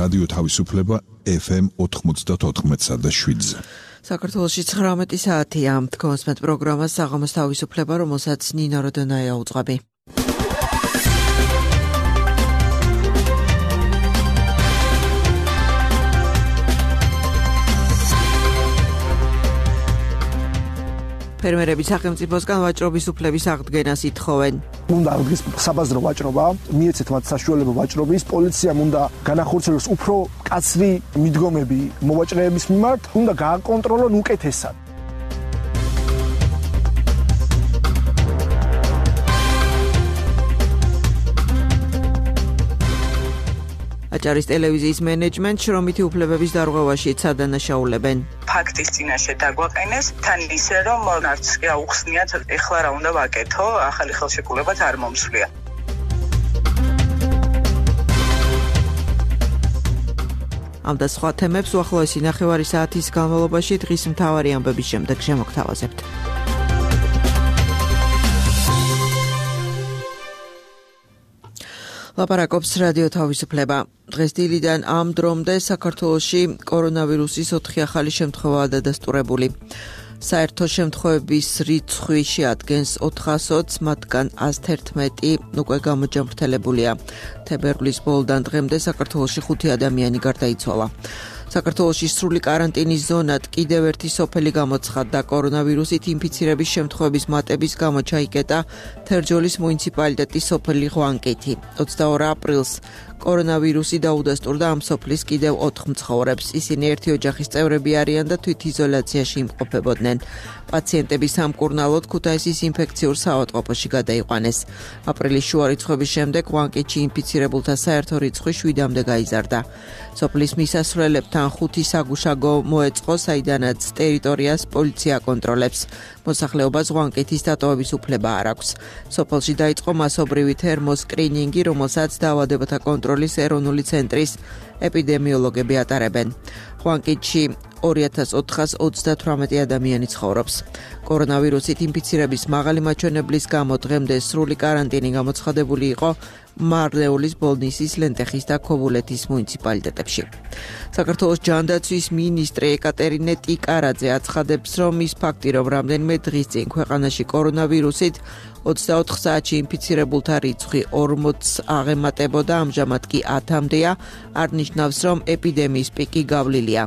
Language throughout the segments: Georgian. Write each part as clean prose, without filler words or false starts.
რადიო თავისუფლება FM 94.7-ზე. საქართველოში 19 საათია. თქვენს პროგრამას საღამოს თავისუფლება, რომელსაც ნინო როდონაია უძღვები. ფერმერები სახელმწიფოსგან ვაჭრობის უფლების აღდგენას ითხოვენ. უნდა აღდგეს საბაზრო ვაჭრობა, მიეცეთ მათ საშუალება ვაჭრობის, პოლიციამ უნდა განახორციელოს უფრო კაცრი მიდგომები მოვაჭრეების მიმართ, უნდა გააკონტროლონ უკეთესად. აჭარის ტელევიზიის მენეჯმენტ შრომითი უფლებების დარღვევაში წადანაშაულებენ. ფაქტის წინაშე დაგვაყენეს, თან ისე რომ არც კი აუხსნიათ, ეხლა რა უნდა ვაკეთო, ახალი ხელშეკრულებაც არ მომსვლია. ამ და სხვა თემებს უახლოესი ნახევარი საათის განმავლობაში დღის მთავარი ამბების შემდეგ შემოგთავაზებთ. ლაპარაკობს რადიო თავისუფლება. დღეს დილიდან ამ დრომდე საქართველოში კორონავირუსის 4 ახალი შემთხვევაა დადასტურებული. საერთო შემთხვევების რიცხვი შეადგენს 420, მათგან 111 უკვე გამოჯამრთელებულია. თებერვლის ბოლოდან დღემდე საქართველოში 5 ადამიანი გარდაიცვალა. საქართველოში სრული კარანტინის ზონად კიდევ ერთი სოფელი გამოცხადდა. კორონავირუსით ინფიცირების შემთხვევების მატების გამო ჩაიკეტა თერჯოლის მუნიციპალიტეტის სოფელი ღვანკეთი. 22 აპრილს კორონავირუსი დაუდასტურდა ამ სოფლის კიდევ 4 მცხოვრებს. ისინი ერთი ოჯახის წევრები არიან და თვითიზოლაციაში იმყოფებოდნენ. პაციენტები სამკურნალოდ ქუთაისის ინფექციურ საავადმყოფოში გადაიყვანეს. აპრილის შუა რიცხვების შემდეგ ღვანკეთში ინფიცირებულთა საერთო რიცხვი 7-მდე გაიზარდა. სოფლის მისასვლელებთან 5 საგუშაგო მოეწყო, საიდანაც ტერიტორიას პოლიცია აკონტროლებს. მოსახლეობას ღვანკეთის დატოვების უფლება არ აქვს. სოფელში დაიწყო მასობრივი თერმოსკრინინგი, რომელსაც დაავადებათა კონტროლის ეროვნული ცენტრის ეპიდემიოლოგები ატარებენ. ღვანკეთში 2438 ადამიანი ცხოვრობს. კორონავირუსით ინფიცირების მაღალი მაჩვენებლის გამო დღემდე სრული კარანტინი გამოცხადებული იყო მარნეულის, ბოლნისის, ლენტეხის და ქობულეთის მუნიციპალიტეტებში. საქართველოს ჯანდაცვის მინისტრი ეკატერინე ტიკარაძე აცხადებს, რომ ის ფაქტი, რომ რამდენიმე დღის წინ ქვეყანაში კორონავირუსით 24 საათში ინფიცირებულთა რიცხვი 40-ს აღემატებოდა, ამჟამად კი 10-მდეა, არ ნიშნავს, რომ ეპიდემიის პიკი გავლილია.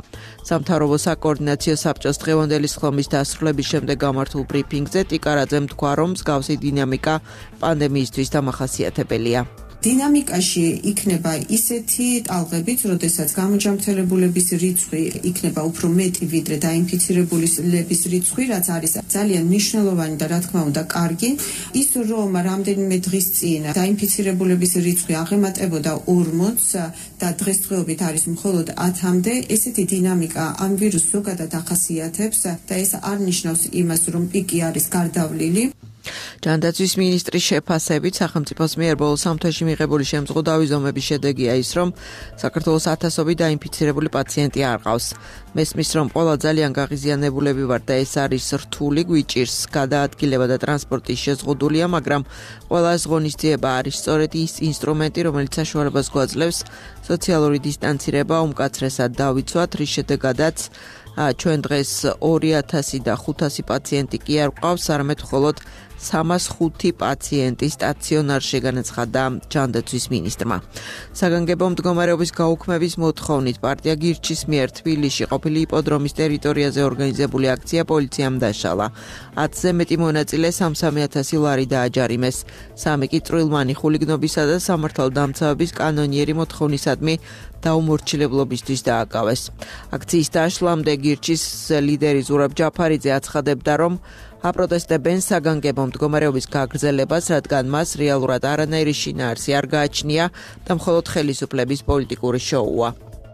სამთავრობო საკოორდინაციო საბჭოს დღევანდელი სხდომის დასრულების შემდეგ გამართულ ბრიფინგზე ტიკარაძემ თქვა, რომ მსგავსი დინამიკა პანდემიისთვის დამახასიათებელია. დინამიკაში იქნება ისეთი ტალღებიც, როდესაც გამოჯამრთელებულების რიცხვი იქნება უფრო მეტი ვიდრე დაინფიცირებულების რიცხვი, რაც არის ძალიან მნიშვნელოვანი და რა თქმა უნდა კარგი. ის რომ რამდენიმე დღის წინ დაინფიცირებულების რიცხვი აღემატებოდა 40-ს და დღესდღეობით არის მხოლოდ 10-მდე, ესეთი დინამიკა ამ ვირუსს ზოგადად ახასიათებს და ეს არ ნიშნავს იმას, რომ პიკი არის გარდავლილი. ჯანდაცვის მინისტრის შეფასებით სახელმწიფოს მიერ ბოლო 3 თვეში მიღებული შემზღუდავი ზომების შედეგია ის, რომ საქართველოს ათასობით დაინფიცირებული პაციენტი არ ყავს. მესმის, რომ ყველა ძალიან გაღიზიანებულები ვარ და ეს არის რთული, გვიჭირს გადაადგილება და ტრანსპორტის შეზღუდულია, მაგრამ ყველას ღონისძიება არის სწორედ ის ინსტრუმენტი, რომელიც საშუალებას გვაძლევს სოციალური დისტანცირება უმკაცრესად დავიცვათ, რის შედეგადაც ჩვენ დღეს 2000 და 500 პაციენტი კი არ გვყავს, არამედ მხოლოდ 305 პაციენტი სტაციონარში, განაცხადა ჯანდაცვის მინისტრმა. საგანგებო მდგომარეობის გაუქმების მოთხოვნით პარტია გირჩის მიერ თბილისში ყოფილი იპოდრომის ტერიტორიაზე ორგანიზებული აქცია პოლიციამ დაშალა. 10-ზე მეტი მონაწილე 3-3,000 ლარი დააჯარიმეს. 3 კი წვრილმანი ხულიგნობისა და სამართალდამცავების კანონიერი მოთხოვნისადმი დაუმორჩილებლობისთვის დააკავეს. აქციის დაშლამდე გირჩის ლიდერი ზურაბ ჯაფარიძე აცხადებდა, რომ აპროტესტებენ საგანგებო მდგომარეობის გაგრძელებას, რადგან მას რეალურად არანაირი შინაარსი არ გააჩნია და მხოლოდ ხელისუფლების პოლიტიკური შოუა.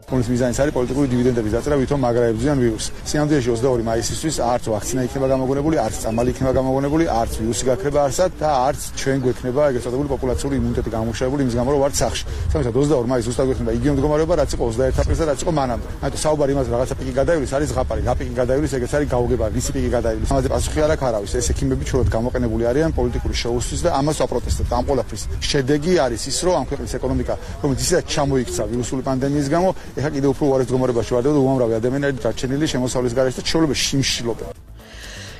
რომლის მიზანიც არის პოლიტიკური დივიდენდების დაწევა, ვითომ მაგრაებზიან ვირუსს. სინამდვილეში 22 მაისისთვის არც ვაქცინა იქნება გამოგონებული, არც წამალი იქნება გამოგონებული, არც ვირუსი გაქრება არსად და არც ჩვენ გვექნება ეგრეთ წოდებული პოპულაციური იმუნიტეტი გამოშვებული იმის გამო, რომ ვართ სახლში. სამისად 22 მაისს ზუსტად გვექნება იგივე მდგომარეობა, რაც იყო 21 აპრილს და რაც იყო მანამდე. ამიტომ საუბარი იმაზე რაღაცა პიკი გადაივლის არის ზღაპარი, რა პიკი გადაივლის, ეგეც არის გაუგება, ვისი პიკი გადაივლის. ამაზე პასუხი არ აქვს არავის. ეს ექიმები ჩვენად გამოყენებული არიან პოლიტიკური შოუსთვის და ამას ვაპროტესტებთ. ამ ყველაფრის შედეგი არის ის, რომ ამ ქვეყნის ეკონომიკა, რომელიც ისედაც ჩამოიქცა ვირუსული პანდემიის გამო, ეხლა კიდევ უფრო უარეს მდგომარეობაში ვარდება და უამრავი ადამიანი არის დარჩენილი შემოსავლის გარეშე და ჩვეულებრივ შიმშილობენ.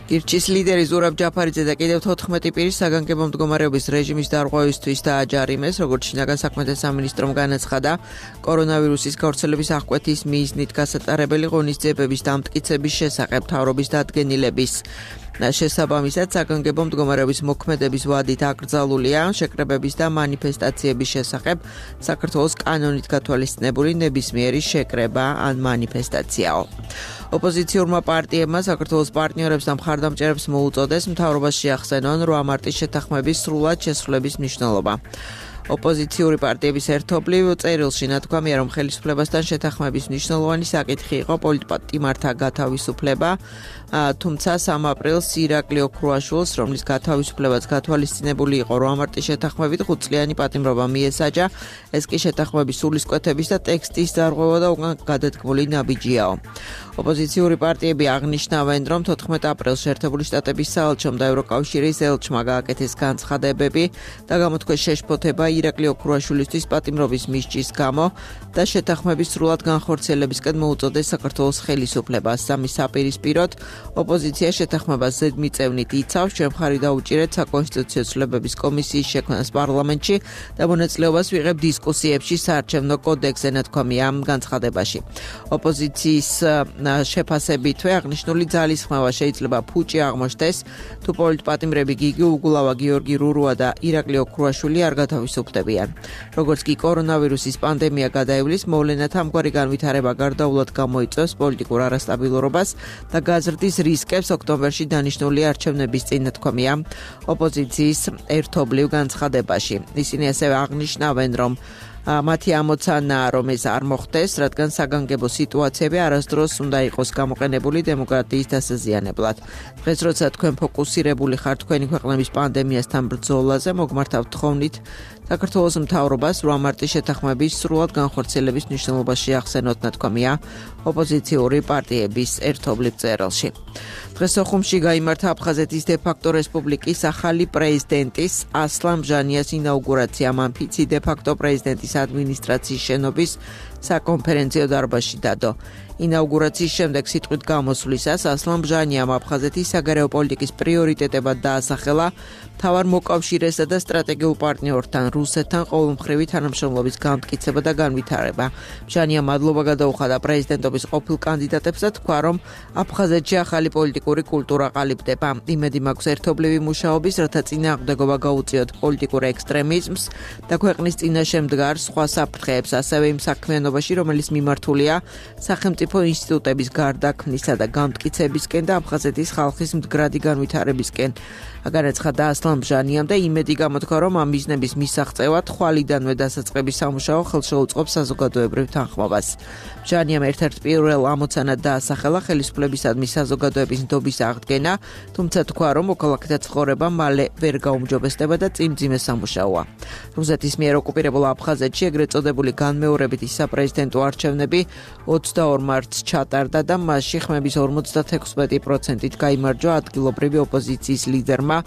გირჩის ლიდერი ზურაბ ჯაფარიძე და კიდევ 14 პირის საგანგებო მდგომარეობის რეჟიმის დარღვევისთვის დააჯარიმეს, როგორც შინაგან საქმეთა სამინისტრომ განაცხადა, კორონავირუსის გავრცელების აღკვეთის მიზნით გასატარებელი ღონისძიებების დამტკიცების შესახებ მთავრობის დადგენილების შესაბამისად საგანგებო მდგომარეობის მოქმედების ვადით აკრძალულია შეკრებების და მანიფესტაციების შესახებ საქართველოს კანონით გათვალისწინებული ნებისმიერი შეკრება ან მანიფესტაციაო. ოპოზიციურმა პარტიებმა საქართველოს პარტნიორებს და მხარდამჭერებს მოუწოდეს მთავრობას შეახსენონ 8 მარტის შეთანხმების სრულად შესრულების მნიშვნელობა. ოპოზიციური პარტიების ერთობლივ წერილში ნათქვამია, რომ ხელისუფლებასთან შეთანხმების მნიშვნელოვანი საკითხი იყო პოლიტპატიმართა გათავისუფლება, თუმცა 3 აპრილს ირაკლი ოქრუაშვილს, რომლის გათავისუფლებაც გათვალისწინებული იყო 8 მარტის შეთანხმებით, 5-წლიანი პატიმრობა მიესაჯა, ეს კი შეთანხმების სულისკვეთების და ტექსტის დარღვევა და უკან გადადგმული ნაბიჯიაო. ოპოზიციური პარტიები აღნიშნავენ, რომ 14 აპრილს შეერთებული შტატების საელჩომ და ევროკავშირის ელჩმა გააკეთეს განცხადებები და გამოთქვეს შეშფოთება ირაკლი ოქრუაშვილისთვის პატიმრობის მისჯის გამო და შეთანხმების სრულად განხორციელებისკენ მოუწოდეს საქართველოს ხელისუფლებას. სამის საპირისპიროდ ოპოზიცია შეთანხმებას ზედმიწევნით იცავს, ჩვენ მხარი დაუჭირეთ საკონსტიტუციო ცვლილებების კომისიის შექმნას პარლამენტში და მონაწილეობას ვიღებ დისკუსიებში საარჩევნო კოდექსზე, ნათქვამია ამ განცხადებაში. ოპოზიციის შეფასებითვე აღნიშნული ძალისხმევა შეიძლება ფუჭი აღმოჩნდეს, თუ პოლიტპატიმრები გიგი უგულავა, გიორგი რურუა და ირაკლი ოქრუაშვილი არ გათავისუფლებიან. როგორც კი კორონავირუსის პანდემია გადაივლის, მოვლენათა ამგვარი განვითარება გარდაულად გამოიწვევს პოლიტიკურ არასტაბილურობას და გაზრდის რისკებს ოქტომბერში დანიშნული არჩევნების წინ, ნათქვამია ოპოზიციის ერთობლივ განცხადებაში. ისინი ასევე აღნიშნავენ, რომ მათი ამოცანაა, რომ ეს არ მოხდეს, რადგან საგანგებო სიტუაციები არასდროს უნდა იყოს გამოყენებული დემოკრატიის დასაზიანებლად. დღეს, როცა თქვენ ფოკუსირებული ხართ თქვენი ქვეყნების პანდემიასთან ბრძოლაზე, მოგმართავთ თხოვნით საქართველოს მთავრობას 8 მარტის შეთანხმების სრულად განხორციელების მნიშვნელობაში ახსენოთ, ნათქვამია ოპოზიციური პარტიების ერთობლივ წერილში. დღეს სოხუმში გაიმართა აფხაზეთის დე-ფაქტო რესპუბლიკის ახალი პრეზიდენტის ასლან ბჟანიას ინაუგურაცია. მან ფიცი დე-ფაქტო პრეზიდენტის ადმინისტრაციის შენობის საკონფერენციო დარბაზში დადო. ინაუგურაციის შემდეგ სიტყვით გამოსვლისას ასლან ბჟანიამ აფხაზეთის საგარეო პოლიტიკის პრიორიტეტებად დაასახელა მთავარ მოკავშირესა და სტრატეგიულ პარტნიორთან რუსეთთან ყოველმხრივი თანამშრომლობის განმტკიცება და განვითარება. ბჟანიამ მადლობა გადაუხადა პრეზიდენტობის ყოფილ კანდიდატებს და თქვა, რომ აფხაზეთში ახალი პოლიტიკური კულტურა ყალიბდება. იმედი მაქვს ერთობლივი მუშაობის, რათა წინააღმდეგობა გაუწიოთ პოლიტიკურ ექსტრემიზმს და ქვეყნის წინაშე მდგარ სხვა საფრთხეებს, ასევე იმ საქმიანობაში, რომელიც მიმართულია სახელმწიფო ინსტიტუტების გარდაქმნისა და გამტკიცებისკენ და აფხაზეთის ხალხის მდგრადი განვითარებისკენ. განაცხადა ასლან ბჟანიამ და იმედი გამოთქვა, რომ ამ მიზნების მისაღწევად ხვალიდანვე დასაწყების სამუშაო ხელშეუწყობს საზოგადოებრივ თანხმობას. ბჟანიამ ერთ-ერთ პირველ ამოცანად დაასახელა ხელისუფლებისადმი საზოგადოების ნდობის აღდგენა, თუმცა თქვა, რომ მოქალაქეთა ცხოვრება მალე ვერ გაუმჯობესდება და წიმძიმე სამუშაოა. რუსეთის მიერ ოკუპირებულ აფხაზეთში ეგრეთ წოდებული განმეორებითი საპრეზიდენტო არჩევნები 22 მარტს ჩატარდა და მასში ხმების 56%-ით გაიმარჯვა ადგილობრივი ოპოზიციის ლიდერმა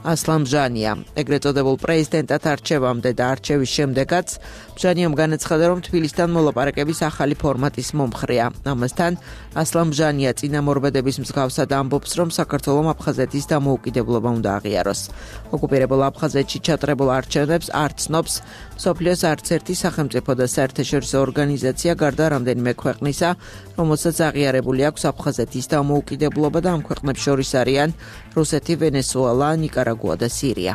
ასლან ბჟანიამ. ეგრეთ წოდებულ პრეზიდენტად არჩევამდე და არჩევის შემდეგაც ბჟანიამ განაცხადა, რომ თბილისთან მოლაპარაკების ახალი ფორმატის მომხრეა. ამასთან ასლან ბჟანია წინამორბედების მსგავსად ამბობს, რომ საქართველომ აფხაზეთის დამოუკიდებლობა უნდა აღიაროს. ოკუპირებულ აფხაზეთში ჩატარებულ არჩევნებს არ ცნობს მსოფლიოს არც ერთი სახელმწიფო და საერთაშორისო ორგანიზაცია, გარდა რამდენიმე ქვეყნისა, რომელსაც აღიარებული აქვს აფხაზეთის დამოუკიდებლობა და ამ ქვეყნებს შორის არიან რუსეთი, ვენესუელა, ნიკარაგუა და სირია.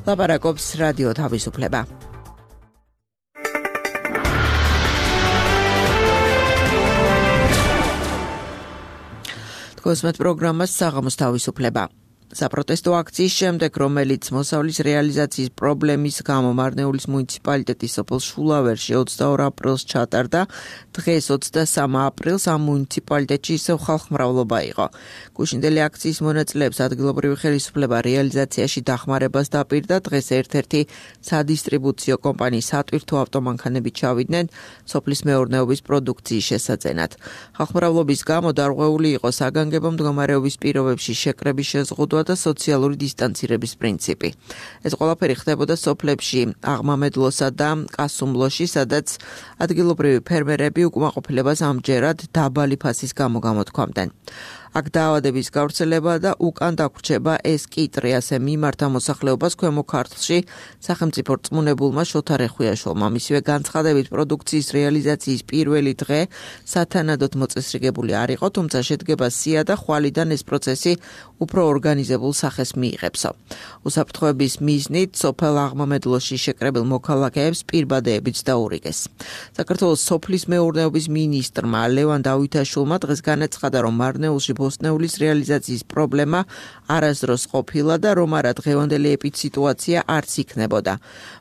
ლაპარაკობს რადიო თავისუფლება. თქოსმეთ პროგრამას საღამოს თავისუფლება. საპროტესტო აქციის შემდეგ, რომელიც მოსავლის რეალიზაციის პრობლემის გამო მარნეულის მუნიციპალიტეტის სოფელ შულავერში 22 აპრილს ჩატარდა, დღეს 23 აპრილს ამ მუნიციპალიტეტში ისევ ხალხმრავლობა იყო. გუშინდელი აქციის მონაწილეებს ადგილობრივი ხელისუფლება რეალიზაციაში დახმარებას დაპირდა, დღეს ერთ-ერთი სადისტრიბუციო კომპანიის სატვირთო ავტომანქანები ჩავიდნენ სოფლის მეურნეობის პროდუქციის შესაძენად. ხალხმრავლობის გამო დარღვეული იყო საგანგებო მდგომარეობის პირობებში შეკრების შეზღუდვა და სოციალური დისტანცირების პრინციპი. ეს ყველაფერი ხდებოდა სოფლებში აღმამედლოსა და კასუმლოში, სადაც ადგილობრივი ფერმერები უკმაყოფილებას ამჯერად დაბალი ფასის გამო გამოთქვამდნენ. აქ დაავადების გავრცელება და უკან დაგვრჩება ეს კიტრი ასე მიმართა მოსახლეობას ქვემო ქართლში სახელმწიფო რწმუნებულმა შოთა რეხვიაშვილმა. მისივე განცხადებით პროდუქციის რეალიზაციის პირველი დღე სათანადოდ მოწესრიგებული არ იყო, თუმცა შედგება სია და ხვალიდან ეს პროცესი უფრო ორგანიზებულ სახეს მიიღებსო. უსაფრთხოების მიზნით სოფელ აღმამედლოში შეკრებილ მოქალაქეებს პირბადეებიც დაურიგეს. საქართველოს სოფლის მეურნეობის მინისტრმა ლევან დავითაშვილმა დღეს განაცხადა, რომ მარნეულში ბოსტნეულის რეალიზაციის პრობლემა არასდროს ყოფილა და რომ არა დღევანდელი ეპიდსიტუაცია არც იქნებოდა.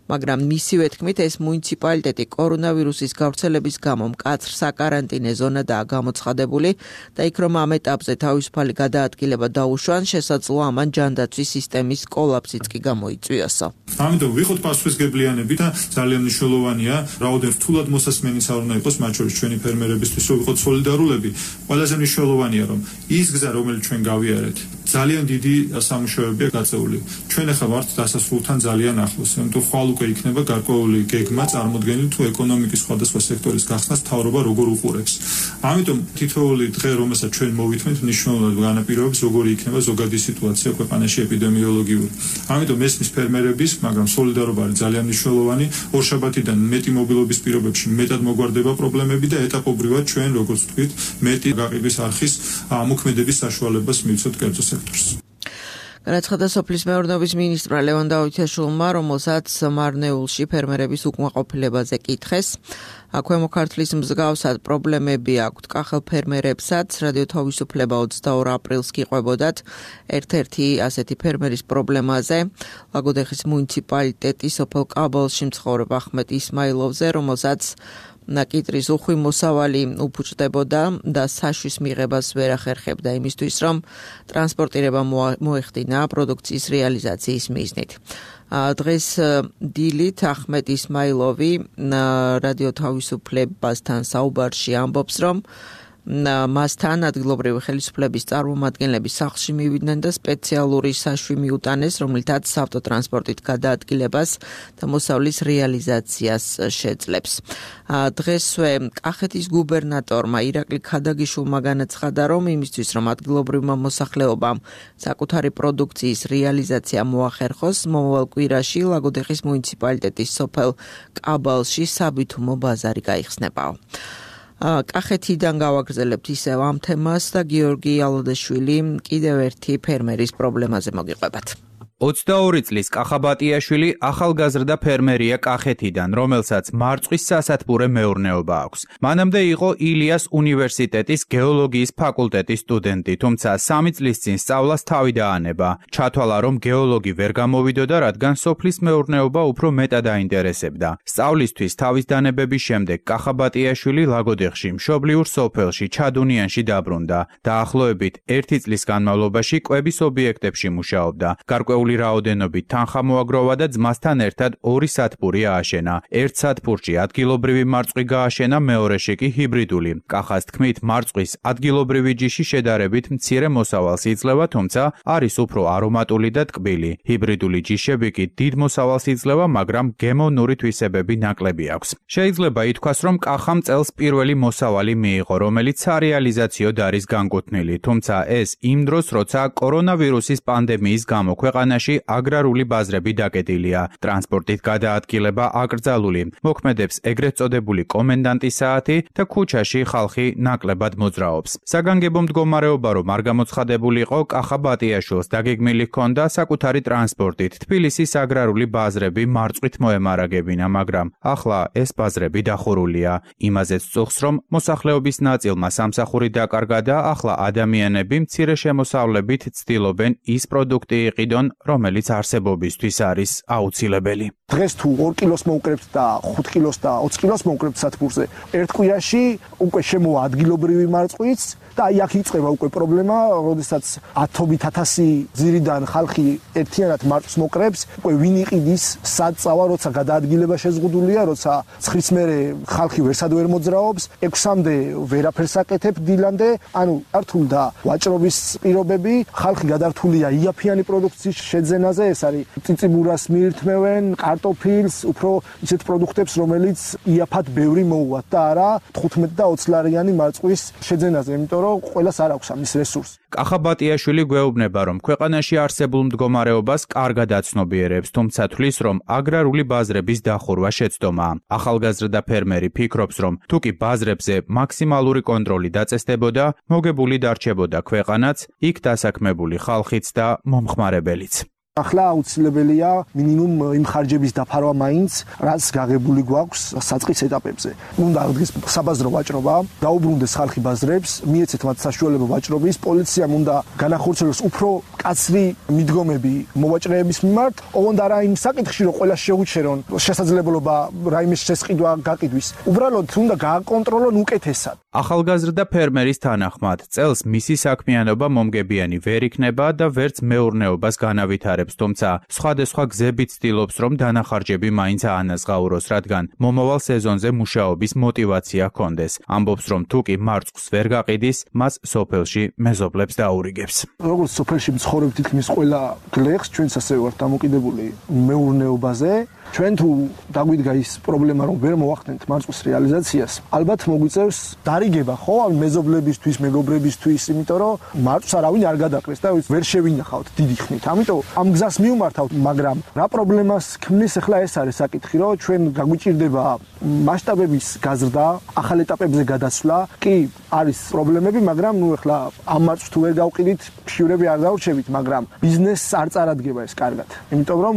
მაგრამ მისივე თქმით, ეს მუნიციპალიტეტი კორონავირუსის გავრცელების გამო მკაცრ საკარანტინე ზონადაა გამოცხადებული და იქ რომ ამ ეტაპზე თავისუფალი გადაადგილება დაუშვან, შესაძლოა ამან ჯანდაცვის სისტემის კოლაფსიც კი გამოიწვიოსო. ამიტომ ვიხოთ პასუხისგებლიანები და ძალიან მნიშვნელოვანია, რაოდენ რთულად მოსასმენი საუბრნა იყოს, მათ შორის ჩვენი ფერმერებისთვის ვიყოთ სოლიდარულები. ყველაზე მნიშვნელოვანია, რომ ის გზა, რომელიც ჩვენ გავიარეთ, ძალიან დიდი სამუშაოებია გაწეული. ჩვენ ახლა ვართ დასასრულთან ძალიან ახლოს, ამიტომ ხვალ უკვე იქნება გარკვეული გეგმა წარმოდგენილი თუ ეკონომიკის სხვადასხვა სექტორის გახსნას მთავრობა როგორ უყურებს. ამიტომ თითოეული დღე, რომელსაც ჩვენ მოვითმით, მნიშვნელოვნად განაპირობებს როგორი იქნება ზოგადი სიტუაცია ქვეყანაში ეპიდემიოლოგიური. ამიტომ მესმის ფერმერების, მაგრამ სოლიდარობა არის ძალიან მნიშვნელოვანი. ორშაბათიდან მეტი მობილობის პირობებში მეტად მოგვარდება პრობლემები და ეტაპობრივად ჩვენ, როგორც ვთქვით, მეტი გაყიდვის არხის მოქმედების საშუალებას მივცეთ კერძო სექტორს. განაცხადა სოფლის მეურნეობის მინისტრმა ლევან დავითაშვილმა, რომელსაც მარნეულში ფერმერების უკმაყოფილებაზე კითხეს. ქვემო ქართლის მსგავსად პრობლემები აქვთ კახელ ფერმერებსაც. რადიო თავისუფლება 22 აპრილს გიყვებოდათ ერთ-ერთი ასეთი ფერმერის პრობლემაზე. ლაგოდეხის მუნიციპალიტეტის სოფელ კაბალში მცხოვრებ ახმეტ ისმაილოვზე, რომელსაც კიტრის უხვი მოსავალი უფუჭდებოდა და საშვის მიღებას ვერ ახერხებდა იმისთვის, რომ ტრანსპორტირება მოეხდინა პროდუქციის რეალიზაციის მიზნით. დღეს დილით ახმეტ ისმაილოვი რადიო თავისუფლებასთან საუბარში ამბობს, რომ მასთან ადგილობრივი ხელისუფლების წარმომადგენლები სახლში მივიდნენ და სპეციალური საშვი მიუტანეს, რომლითაც ავტოტრანსპორტით გადაადგილებას და მოსავლის რეალიზაციას შეძლებს. დღესვე კახეთის გუბერნატორმა ირაკლი ქადაგიშვილმა განაცხადა, რომ იმისთვის, რომ ადგილობრივმა მოსახლეობამ საკუთარი პროდუქციის რეალიზაცია მოახერხოს, მომავალ კვირაში ლაგოდეხის მუნიციპალიტეტის სოფელ კაბალში საბითუმო ბაზარი გაიხსნებაო. კახეთიდან გავაგრძელებთ ისევ ამ თემას და გიორგი ალოდაშვილი კიდევ ერთი ფერმერის პრობლემაზე მოგიყვებათ. 22 წლის კახაბატიაშვილი ახალგაზრდა ფერმერია კახეთიდან, რომელსაც მარწყვის სასათბურე მეურნეობა აქვს. მანამდე იყო ილიას უნივერსიტეტის გეოლოგიის ფაკულტეტის სტუდენტი, თუმცა 3 წლის წინ სწავლას თავი დაანება. ჩათვალა, რომ გეოლოგი ვერ გამოვიდოდა, რადგან სოფლის მეურნეობა უფრო მეტად აინტერესებდა. სწავლისთვის თავის დანებების შემდეგ კახაბატიაშვილი ლაგოდეხში, მშობლიურ სოფელში ჩადუნიანში დაბრუნდა. დაახლოებით 1 წლის განმავლობაში კვების ობიექტებში მუშაობდა. გარკვეული რაოდენობით თანხა მოაგროვა და ძმასთან ერთად 2 სათბური ააშენა. ერთ სათბურში ადგილობრივი მარწყვი გააშენა, მეორეში კი ჰიბრიდული. კახას თქმით, მარწყვის ადგილობრივი ჯიში შედარებით მცირე მოსავალს იძლევა, თუმცა არის უფრო არომატული და ტკბილი. ჰიბრიდული ჯიშები კი დიდ მოსავალს იძლევა, მაგრამ გემოვნური თვისებები ნაკლები აქვს. შეიძლება ითქვას, რომ კახამ წელს პირველი მოსავალი მიიღო, რომელიც სარეალიზაციოდ არის განკუთვნილი, თუმცა ეს იმ დროს, როცა კორონავირუსის პანდემიის გამო ქვეყანაში ქვეყანაში აგრარული ბაზრები დაკეტილია. ტრანსპორტით გადაადგილება აკრძალული. მოქმედებს ეგრეთ წოდებული კომენდანტის საათი და ქუჩაში ხალხი ნაკლებად მოძრაობს. საგანგებო მდგომარეობა რომ არ გამოცხადებულიყო, კახა ბატიაშვილს დაგეგმილი ჰქონდა საკუთარი ტრანსპორტით თბილისის აგრარული ბაზრები მარწყვით მოემარაგებინა, მაგრამ ახლა ეს ბაზრები დახურულია. იმაზეც წუხს, რომ მოსახლეობის ნაწილმა სამსახური დაკარგა და ახლა ადამიანები მცირე შემოსავლებით ცდილობენ ის პროდუქტი იყიდონ, რომელიც არსებობისთვის არის აუცილებელი. დღეს თუ 2 კილოს მოუკრებთ და 5 კილოს და 20 კილოს მოუკრებთ სათბურზე, ერთ კვირაში უკვე შემოვა ადგილობრივი მარწყვიც და აი აქ იწყება უკვე პრობლემა, როდესაც 10,000 ძირიდან ხალხი ერთიანად მარწყვს მოკრებს, უკვე ვინ იყიდის, სად წავა, როცა გადაადგილება შეზღუდულია, როცა 9-ს მერე ხალხი ვერსად ვერ მოძრაობს, 6-მდე ვერაფერს აკეთებ დილამდე, ანუ გართულ და ვაჭრობის პირობები, ხალხი გადართულია იაფიანი პროდუქციის შეძენაზე, ეს არის წიწიბურას მიირთმევენ, კარტოფილს, უფრო ისეთ პროდუქტებს, რომელიც იაფად ბევრი მოუვათ და არა 15 და 20 ლარიანი მარწყვის შეძენაზე, იმიტომ რომ ყველას არ აქვს ამის რესურსი. კახა ბატიაშვილი გვეუბნება, რომ ქვეყანაში არსებულ მდგომარეობას კარგად აცნობიერებს, თუმცა თვლის, რომ აგრარული ბაზრების დახურვა შეცდომაა. ახალგაზრდა ფერმერი ფიქრობს, რომ თუ კი ბაზრებზე მაქსიმალური კონტროლი დაწესდებოდა, მოგებული დარჩებოდა ქვეყანაც, იქ დასაქმებული ხალხიც და მომხმარებელიც. ახლა აუცილებელია მინიმუმ იმ ხარჯების დაფარვა მაინც, რაც გაღებული გვაქვს საწყის ეტაპებზე. უნდა აღდგეს საბაზრო ვაჭრობა, დაუბრუნდეს ხალხი ბაზრებს, მიეცეთ მათ საშუალება ვაჭრობის, პოლიციამ უნდა განახორციელოს უფრო კაცრი მიდგომები მოვაჭრეების მიმართ, ოღონდ არა იმ საკითხში, რომ ყველა შეუჩერონ შესაძლებლობა რაიმეს შესყიდვა გაყიდვის. უბრალოდ უნდა გააკონტროლონ უკეთესად. ახალგაზრდა ფერმერის თანახმად, წელს მისი საქმიანობა მომგებიანი ვერ იქნება და ვერც მეურნეობას განავითარებს. თუმცა სხვადასხვა გზებით ცდილობს, რომ დანახარჯები მაინც აანაზღაუროს, რადგან მომავალ სეზონზე მუშაობის მოტივაცია ჰქონდეს. ამბობს, რომ თუ კი მარწყვს ვერ გაყიდის, მას სოფელში მეზობლებს დაურიგებს. როგორც სოფელში მცხოვრებ თითქმის ყველა გლეხს, ჩვენც ასევე ვართ დამოკიდებული მეურნეობაზე. ჩვენ თუ დაგვიდგა ის პრობლემა, რომ ვერ მოვახდენთ მარწყვის რეალიზაციას, ალბათ მოგვიწევს დარიგება, ხო, მეზობლებისთვის, მეგობრებისთვის, იმიტომ რომ მარწყვს არავინ არ გადაყრეს და ვერ შევინახავთ დიდი ხნით. ამიტომ ამ გზას მივმართავთ, მაგრამ რა პრობლემას ქმნის ახლა ეს არის საკითხი, რომ ჩვენ გაგვიჭირდება მასშტაბების გაზრდა, ახალ ეტაპებზე გადასვლა, კი არის პრობლემები, მაგრამ ნუ ახლა ამ მარწყვს თუ ვერ გავყიდით, ფშივრები არ დაურჩებით, მაგრამ ბიზნესს არ წარადგება ეს კარგად. იმიტომ რომ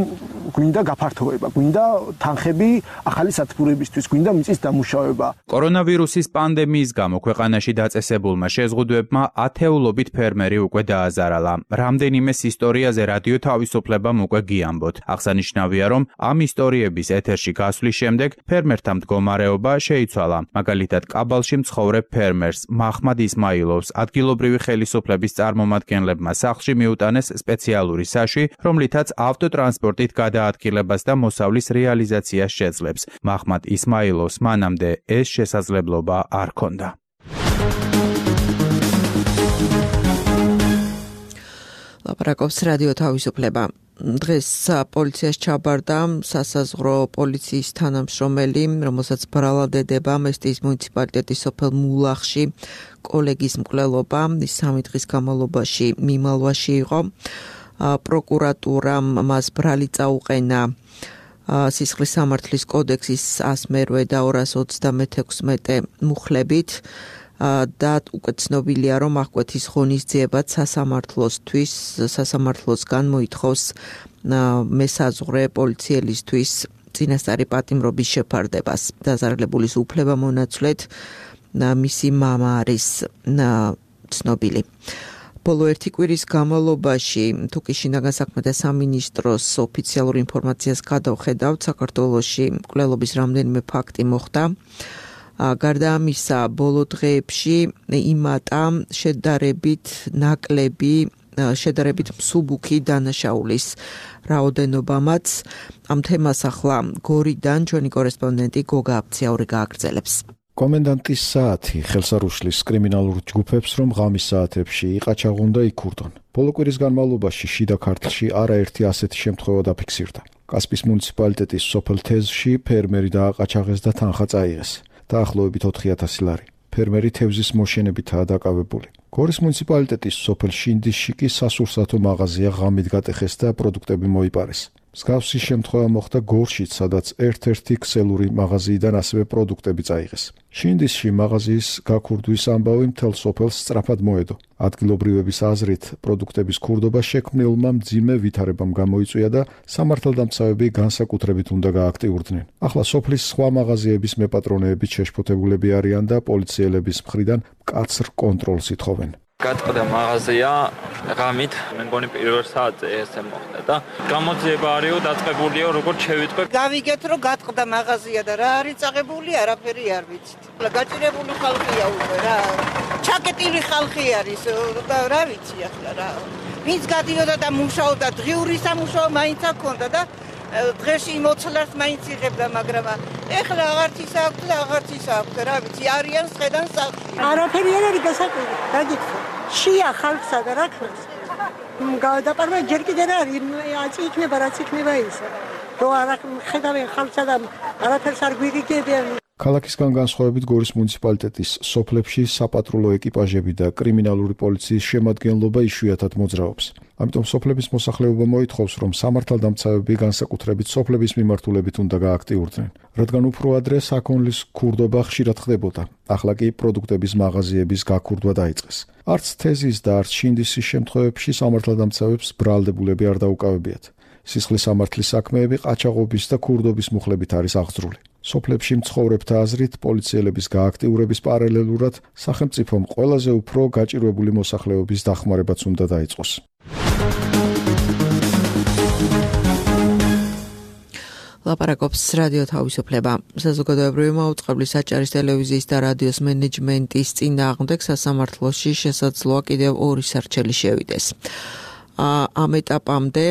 გვინდა გაფართოება, გვინდა თანხები ახალი სათბურებისთვის, გვინდა მიწის დამუშავება. კორონავირუსის პანდემიის გამო ქვეყანაში დაწესებულმა შეზღუდვებმა ათეულობით ფერმერი უკვე დააზარალა. რამდენიმეს ისტორიაზე რადიო თავისუფლებამ უკვე გიამბოთ. აღსანიშნავია, რომ ამ ისტორიების ეთერში გასვლის შემდეგ ფერმერთა მდგომარეობა შეიცვალა. მაგალითად, კაბალში მცხოვრებ ფერმერს მაჰმად ისმაილოვს ადგილობრივი ხელისუფლების წარმომადგენლებმა სახლში მიუტანეს სპეციალური საშვი, რომლითაც ავტოტრანსპორტით გადაადგილებას და მოსავლის რეალიზაციას შეძლებს. მაჰმად ისმაილოვს მანამდე ეს შესაძლებლობა არ ჰქონდა. ლაპარაკობს რადიო თავისუფლება. დღეს პოლიციას ჩაბარდა სასაზღვრო პოლიციის თანამშრომელი, რომელსაც ბრალადედება მესტიის მუნიციპალიტეტის სოფელ მულახში კოლეგის მკვლელობა, ის 3 დღის განმავლობაში მიმალვაში იყო. პროკურატურამ მას ბრალი წაუყენა სისხლის სამართლის კოდექსის 108 და 236 მუხლებით და უკვე ცნობილია, რომ აღკვეთის ღონისძიებაც სასამართლოსგან მოითხოვს მესაზღვრე პოლიციელისთვის წინასწარი პატიმრობის შეფარდებას. დაზარალებულის უფლება მონაცვლედ მისი მამა არის ცნობილი. ბოლო 1 კვირის განმავლობაში თუკი შინაგან საქმეთა სამინისტროს ოფიციალურ ინფორმაციას გადავხედავთ, საქართველოში მკვლელობის რამდენიმე ფაქტი მოხდა. გარდა ამისა, ბოლო დღეებში იმატა შედარებით მსუბუქი დანაშაულის რაოდენობამაც. ამ თემას ახლა გორიდან ჩვენი კორესპონდენტი გოგა აფციაური გააგრძელებს. კომენდანტის საათი ხელს არ უშლის კრიმინალურ ჯგუფებს, რომ ღამის საათებში იყაჩაღონ და იქურდონ. ბოლო კვირის განმავლობაში შიდა ქართლში არაერთი ასეთი შემთხვევა დაფიქსირდა. კასპის მუნიციპალიტეტის სოფელ თეზში ფერმერი დააყაჩაღეს და თანხა წაიღეს. დაახლოებით 4000 ლარი. ფერმერი თევზის მოშენებითაა დაკავებული. გორის მუნიციპალიტეტის სოფელ შინდისში კი სასურსათო მაღაზია ღამით გატეხეს და პროდუქტები მოიპარეს. მსგავსი შემთხვევა მოხდა გორშიც, სადაც ერთ-ერთი ქსელური მაღაზიიდან ასევე პროდუქტები წაიღეს. შინდისში მაღაზიის გაქურდვის ამბავი მთელ სოფელს სწრაფად მოედო. ადგილობრივების აზრით, პროდუქტების ქურდობა შექმნილმა მძიმე ვითარებამ გამოიწვია და სამართალდამცავები განსაკუთრებით უნდა გააქტიურდნენ. ახლა სოფლის სხვა მაღაზიების მეპატრონეებით შეშფოთებულები არიან და პოლიციელების მხრიდან მკაცრ კონტროლს ითხოვენ. გატყდა მაღაზია ღამით, მე მგონი პირველ საათზე ესე მოხდა და გამოძიება არისო, დაწყებულია როგორც შევიტყვე. გავიგეთ რომ გატყდა მაღაზია და რა არის წაღებული, არაფერი არ ვიცით. გაჭირებული ხალხია უკვე რა. ჩაკეტილი ხალხი არის და რა ვიცი ახლა რა. ვინც გადიოდა და მუშაობდა, დღიური სამუშაო მაინც აქონდა და დღეში მოცლარს მაინც იღებდა, მაგრამ ეხლა აღარც ის აქვს და აღარც ის აქვს, რა ვიცი, არიან სხედან სახლში. არაფერი არ არის გასაკვირი, გაგიქცა. შია ხალხსა და რა ქვეს. გადაპარვა ჯერ კიდე რა არის, იქნება რაც იქნება ისე. რო არ ხედავენ ხალხსა და არაფერს არ გვიგებიან. ქალაქისგან განსხვავებით გორის მუნიციპალიტეტის სოფლებში საპატრულო ეკიპაჟები და კრიმინალური პოლიციის შემადგენლობა იშვიათად მოძრაობს. ამიტომ სოფლების მოსახლეობა მოითხოვს, რომ სამართალდამცავები განსაკუთრებით სოფლების მიმართულებით უნდა გააქტიურდნენ, რადგან უფრო ადრე საქონლის ქურდობა ხშირად ხდებოდა. ახლა კი პროდუქტების მაღაზიების გაქურდვა დაიწყეს. არც თეზის და არც შინდისის შემთხვევებში სამართალდამცავებს ბრალდებულები არ დაუკავებიათ. სისხლის სამართლის საქმეები ყაჩაღობის და ქურდობის მუხლებით არის აღძრული. სოფლებში მცხოვრებთა აზრით, პოლიციელების გააქტიურების პარალელურად სახელმწიფომ ყველაზე უფრო გაჭირვებული მოსახლეობის დახმარებაც უნდა დაიწყოს. ლაპარაკობს რადიო თავისუფლება. საზოგადოებრივი მაუწყებლის საჭარის ტელევიზიის და რადიოს მენეჯმენტის წინააღმდეგ სასამართლოში შესაძლოა კიდევ 2 სარჩელი შევიდეს. ამ ეტაპამდე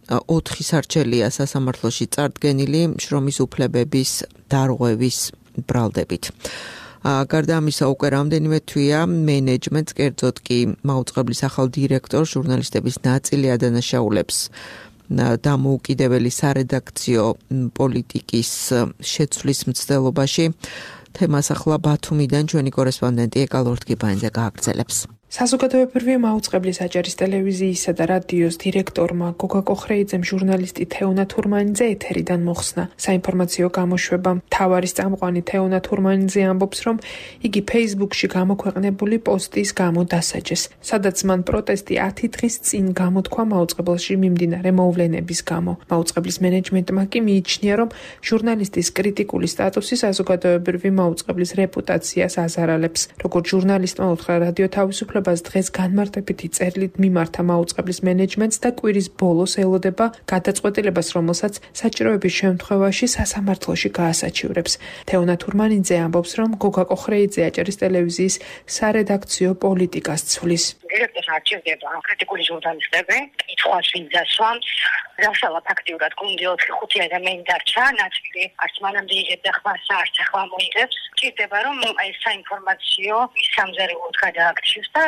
4 სარჩელია სასამართლოში წარდგენილი შრომის უფლებების დარღვევის ბრალდებით. გარდა ამისა, უკვე რამდენიმე თვეა მენეჯმენტს, კერძოდ კი მაუწყებლის ახალ დირექტორს, ჟურნალისტების ნაწილი ადანაშაულებს დამოუკიდებელი სარედაქციო პოლიტიკის შეცვლის მცდელობაში. თემას ახლა ბათუმიდან ჩვენი კორესპონდენტი ეკა ლორთგიბაინძე გააგრძელებს. საზოგადოებრივი მაუწყებლის საჭარის ტელევიზიისა და რადიოს დირექტორმა გოგა კოხრეიძემ ჟურნალისტი თეონა თურმანიძე ეთერიდან მოხსნა. საინფორმაციო გამოშვებამ მთავარი წამყვანი თეონა თურმანიძე ამბობს, რომ იგი Facebook-ში გამოქვეყნებული პოსტის გამო დასაჯეს, სადაც მან პროტესტი 10 დღის წინ გამოთქვა მაუწყებელში მიმდინარე მოვლენების გამო. მაუწყებლის მენეჯმენტმა კი მიიჩნია, რომ ჟურნალისტის კრიტიკული სტატუსი საზოგადოებრივი მაუწყებლის რეპუტაციას აზარალებს. როგორც ჟურნალისტმა უთხრა რადიო თავისუფლებას დღეს განმარტებითი წერილით მიმართა მაუწყებლის მენეჯმენტს და კვირის ბოლოს ელოდება გადაწყვეტილებას, რომელსაც საჭიროების შემთხვევაში სასამართლოში გაასაჩივრებს. თეონა თურმანიძე ამბობს, რომ გოგა კოხრეიძე აჭარის ტელევიზიის სარედაქციო პოლიტიკას ცვლის. დირექტორს არჩევდება კრიტიკული ჟურნალისტები, კითხვას ვინ დასვამს, რასალა ფაქტიურად გუნდი 4-5 ადამიანი დარჩა, ნაწილი არც მანამდე იღებდა ხმას, არც ახლა მოიღებს. ჭირდება რომ ეს საინფორმაციო სამზარეულოდ გადააქციოს და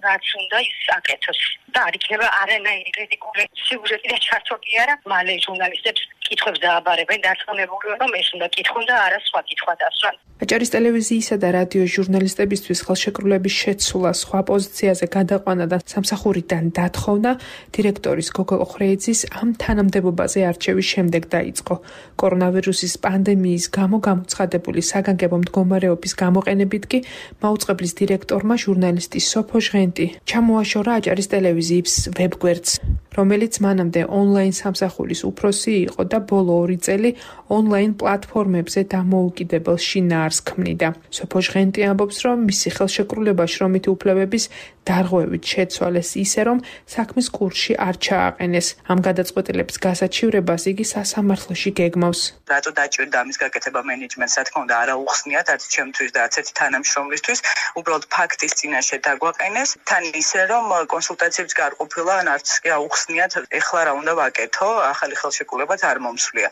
რაც უნდა ის აკეთოს. და არ იქნება არანაირი კრიტიკული სიუჟეტი და ჩართული არა, მალე ჟურნალისტებს კითხვებს დააბარებენ, დარწმუნებული რომ ეს უნდა კითხონ და არა სხვა კითხვა დასვან. აჭარის ტელევიზიისა და რადიოს ჟურნალისტებისთვის ხელშეკრულების შეცვლა, სხვა პოზიციაზე გადაყვანა და სამსახურიდან დათხოვნა დირექტორის გოგა კოხრეიძის ამ თანამდებობაზე არჩევის შემდეგ დაიწყო. კორონავირუსის პანდემიის გამო გამოცხადებული საგანგებო მდგომარეობის გამოყენებით კი მაუწყებლის დირექტორმა ჟურნალისტი სოფო ჟღენტი ჩამოაშორა აჭარის ტელევიზიის ვებგვერდს, რომელიც მანამდე ონლაინ სამსახურის უფროსი იყო და ბოლო 2 წელი ონლაინ პლატფორმებზე დამოუკიდებელ შინაარსს ქმნიდა. სოფო ჟღენტი ამბობს, რომ მისი ხელშეკრულება შრომითი უფლებების დარღვევით შეცვალეს ისე, რომ საქმის კურსში არ ჩააყენეს. ამ გადაწყვეტილების გასაჩივრებას იგი სასამართლოში გეგმავს. რატო დაჭირდა ამის გაკეთება მენეჯმენტს, რა თქმა უნდა, არა უხსნიათ არც ჩემთვის და არც ერთი თანამშრომლისთვის, უბრალოდ ფაქტის წინაშე დაგვაყენეს, თან ისე, რომ კონსულტაციებს გარყოფილა, არც კი აუხსნიათ, ეხლა რა უნდა ვაკეთო, ახალი ხელშეკრულებაც არ მომსვლია.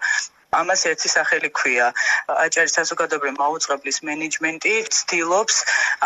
ამას ერთი სახელი ქვია. აჭარის საზოგადოებრივი მაუწყებლის მენეჯმენტი ცდილობს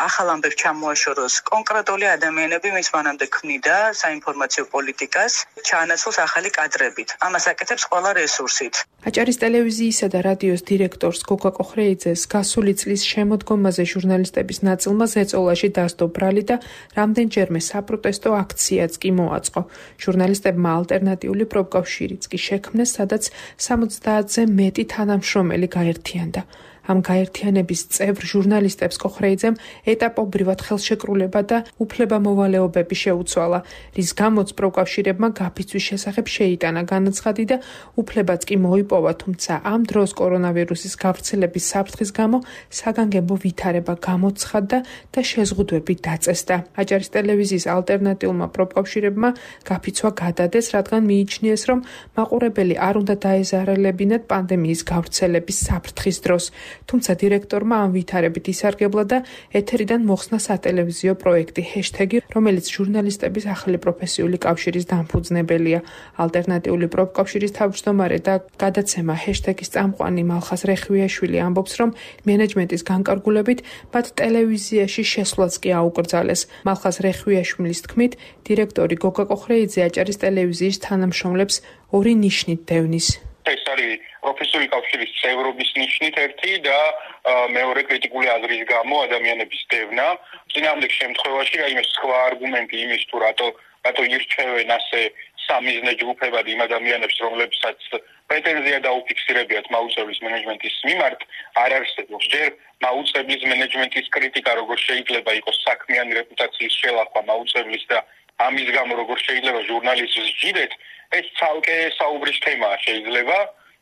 ახალ ამბებს ჩამოაშოროს კონკრეტული ადამიანები, ვის მანამდე ქმნიდა საინფორმაციო პოლიტიკას, ჩაანაცვლოს ახალი კადრებით. ამას აკეთებს ყველა რესურსით. აჭარის ტელევიზიისა და რადიოს დირექტორს გოგა კოხრეიძეს გასული წლის შემოდგომაზე ჟურნალისტების ნაწილმა ზეწოლაში დასდო ბრალი და რამდენჯერმე საპროტესტო აქციაც კი მოაწყო. ჟურნალისტებმა ალტერნატიული პროფკავშირიც კი შექმნეს, სადაც 70-ზე მეტი თანამშრომელი გაერთიანდა. ამ გაერთიანების წევრ ჟურნალისტებს კოხრეიძემ ეტაპობრივად ხელშეკრულება და უფლებამოვალეობები შეუცვალა, რის გამოც პროფკავშირებმა გაფიცვის შესახებ შეიტანა განაცხადი და უფლებაც კი მოიპოვა, თუმცა ამ დროს კორონავირუსის გავრცელების საფრთხის გამო საგანგებო ვითარება გამოცხადდა და შეზღუდვები დაწესდა. აჭარის ტელევიზიის ალტერნატიულმა პროფკავშირებმა გაფიცვა გადადეს, რადგან მიიჩნიეს, რომ მაყურებელი არ უნდა დაეზარალებინათ პანდემიის გავრცელების საფრთხის დროს. თუმცა დირექტორმა ამ ვითარებით ისარგებლა და ეთერიდან მოხსნა სატელევიზიო პროექტი ჰეშტეგი, რომელიც ჟურნალისტების ახალი პროფესიული კავშირის დამფუძნებელია. ალტერნატიული პროფკავშირის თავმჯდომარე და გადაცემა ჰეშტეგის წამყვანი მალხაზ რეხვიაშვილი ამბობს, რომ მენეჯმენტის განკარგულებით მათ ტელევიზიაში შესვლაც კი აუკრძალეს. მალხაზ რეხვიაშვილის თქმით, დირექტორი გოგა კოხრეიძე აჭარის ტელევიზიის თანამშრომლებს ორი ნიშნით დევნის. ეს არის პროფესიული კავშირის წევრობის ნიშნით ერთი და მეორე კრიტიკული აზრის გამო ადამიანების დევნა. წინააღმდეგ შემთხვევაში რაიმე სხვა არგუმენტი იმის თუ რატო ირჩევენ ასე სამიზნე ჯგუფებად იმ ადამიანებს, რომლებსაც პრეტენზია დაუფიქსირებიათ მაუწყებლის მენეჯმენტის მიმართ, არ არსებობს. ჯერ მაუწყებლის მენეჯმენტის კრიტიკა როგორ შეიძლება იყოს საქმიანი რეპუტაციის შელახვა მაუწყებლის და ამის გამო როგორ შეიძლება ჟურნალისტს სჯიდეთ, ეს ცალკე საუბრის თემაა შეიძლება.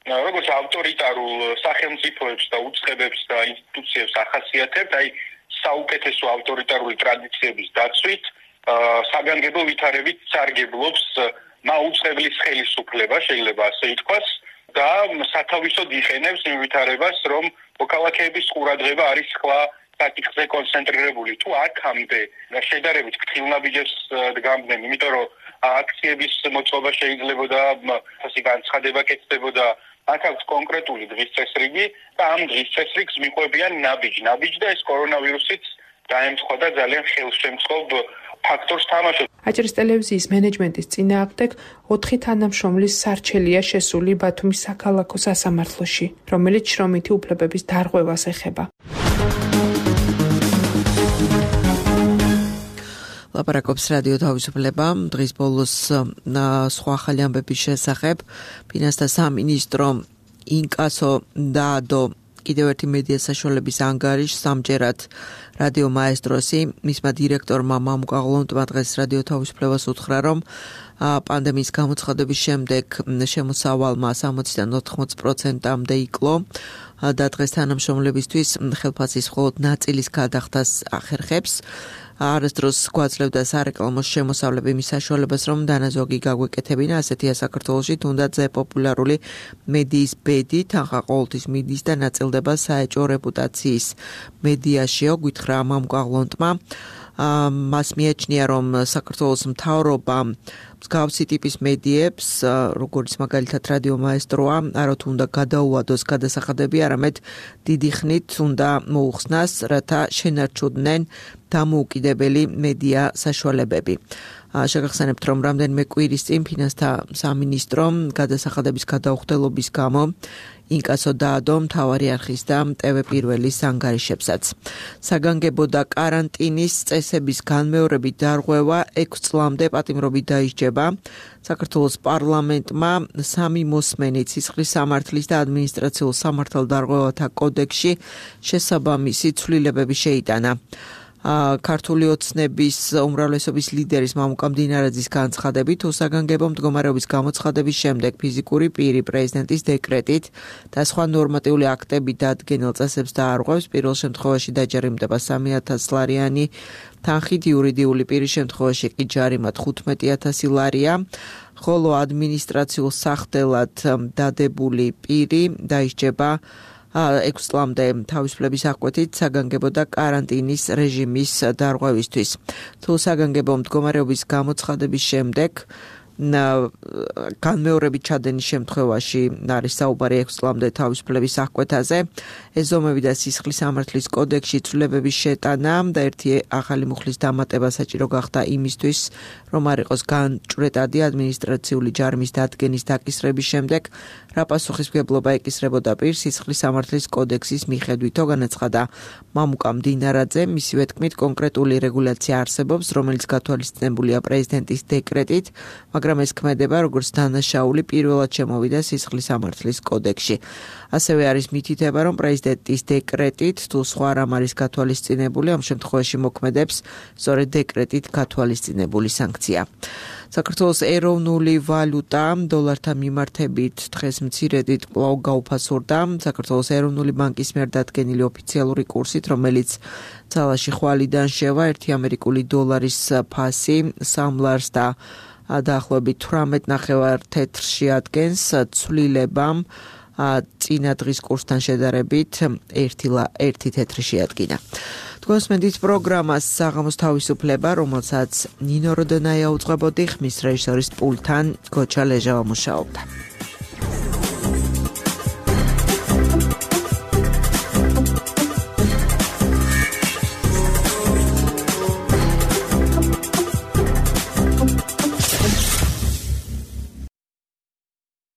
როგორც ავტორიტარულ სახელმწიფოებს და უწყებებს და ინსტიტუციებს ახასიათებთ, აი საუკეთესო ავტორიტარული ტრადიციების დაცვით, საგანგებო ვითარებით სარგებლობს მაუწყებლის ხელისუფლება, შეიძლება ასე ითქვას, და სათავისოდ იყენებს იმ ვითარებას, რომ მოქალაქეების ყურადღება არის სხვა საკითხზე კონცენტრირებული. თუ აქამდე შედარებით ფრთხილნაბიჯებს დგამდნენ, იმიტომ რომ აქციების მოწყობა შეიძლებოდა, ასე განცხადება კეთდებოდა, აქ აქვს კონკრეტული დღის წესრიგი და ამ დღის წესრიგს მიყვებიან ნაბიჯ და ეს კორონავირუსიც დაემთხვა და ძალიან ხელშემწყობ ფაქტორს თამაშობს. აჭარის ტელევიზიის მენეჯმენტის წინააღმდეგ 4 თანამშრომლის სარჩელია შესული ბათუმის საქალაქო სასამართლოში, რომელიც შრომითი უფლებების დარღვევას ეხება. ლაპარაკობს რადიო თავისუფლება. დღის ბოლოს სხვა ახალი ამბების შესახებ ფინანსთა სამინისტრო ინკასო დაადო კიდევ ერთი მედია საშუალების ანგარიშს სამჯერად რადიო მაესტროსი მისმა დირექტორმა მამუკაღლონტმა დღეს რადიო თავისუფლებას უთხრა, რომ პანდემიის გამოცხადების შემდეგ შემოსავალმა 60-დან 80%-მდე იკლო და დღეს თანამშრომლებისთვის ხელფასის მხოლოდ ნაწილის გადახდას ახერხებს. არასდროს გვაძლევდა სარეკლამო შემოსავლები მის საშუალებას, რომ დანაზოგი გაგვეკეთებინა, ასეთია საქართველოში, თუნდაც პოპულარული მედიის ბედი თანხა ყოველთვის მიდის და ნაწილდება საეჭვო რეპუტაციის მედიაშიო, გითხრა მამუკაღლონტმა. მას მიაჩნია, რომ საქართველოს მთავრობა მსგავსი ტიპის მედიებს, როგორც მაგალითად რადიო მაესტროა, არათუ უნდა გადაუვადოს გადასახადები, არამედ დიდი ხნით უნდა მოუხსნას, რათა შენარჩუნდნენ დამოუკიდებელი მედია საშუალებები. შეგახსენებთ, რომ რამდენიმე კვირის წინ ფინანსთა სამინისტრომ გადასახადების გადაუხდელობის გამო ინკასო დაადო მთავარი არხის და TV პირველის ანგარიშებსაც. საგანგებო და კარანტინის წესების განმეორებით დარღვევა 6 წლამდე პატიმრობით დაისჯება. საქართველოს პარლამენტმა 3 მოსმენი ცისხლის სამართლის და ადმინისტრაციულ სამართალდარღვევათა კოდექსში შესაბამისი ცვლილებები შეიტანა. ქართული ოცნების უმრავლესობის ლიდერის მამუკა მდინარაძის განცხადებით, საგანგებო მდგომარეობის გამოცხადების შემდეგ ფიზიკური პირი პრეზიდენტის დეკრეტით და სხვა ნორმატიული აქტებით დადგენილ წესებს დაარღვევს, პირველ შემთხვევაში დაჯერიმდება 3,000 ლარიანი თანხით, იურიდიული პირის შემთხვევაში კი ჯარიმად 15,000 ლარია, ხოლო ადმინისტრაციულ სახდელად დადებული პირი დაისჯება 6 წლამდე თავისუფლების აღკვეთით საგანგებო და კარანტინის რეჟიმის დარღვევისთვის. თუ საგანგებო მდგომარეობის გამოცხადების შემდეგ განმეორებით ჩადენის შემთხვევაში არის საუბარი 6 წლამდე თავისუფლების აღკვეთაზე. ეს ზომები და სისხლის სამართლის კოდექსში ცვლილებების შეტანა და ერთი ახალი მუხლის დამატება საჭირო გახდა იმისთვის, რომ არ იყოს განჭვრეტადი ადმინისტრაციული ჯარიმის დადგენის დაკისრების შემდეგ, რა პასუხისმგებლობა ეკისრებოდა პირს სისხლის სამართლის კოდექსის მიხედვითო, განაცხადა მამუკა მდინარაძე. მისივე თქმით, კონკრეტული რეგულაცია არსებობს, რომელიც გათვალისწინებულია პრეზიდენტის დეკრეტით, მაგრამ ეს ქმედება როგორც დანაშაული პირველად შემოვიდა სისხლის სამართლის კოდექსში. ასევე არის მითითება, რომ პრეზიდენტის დეკრეტით თუ სხვა რამ არის გათვალისწინებული, ამ შემთხვევაში მოქმედებს სწორედ დეკრეტით გათვალისწინებული სანქცია. საქართველოს ეროვნული ვალუტა დოლართან მიმართებით დღეს მცირედით კვლავ გაუფასურდა. საქართველოს ეროვნული ბანკის მიერ დადგენილი ოფიციალური კურსით, რომელიც ძალაში ხვალიდან შევა, 1 ამერიკული დოლარის ფასი 3 ლარს და დაახლოებით 18.5 თეთრში ადგენს, ცვლილებამ წინა დღის კურსთან შედარებით 1 თეთრი შეადგინა. თქვენს მედით პროგრამას საღამოს თავისუფლება, რომელსაც ნინო როდონაია უძღვებოდი, ხმის რეჟისორის პულტთან გოჩა ლეჟავა მუშაობდა.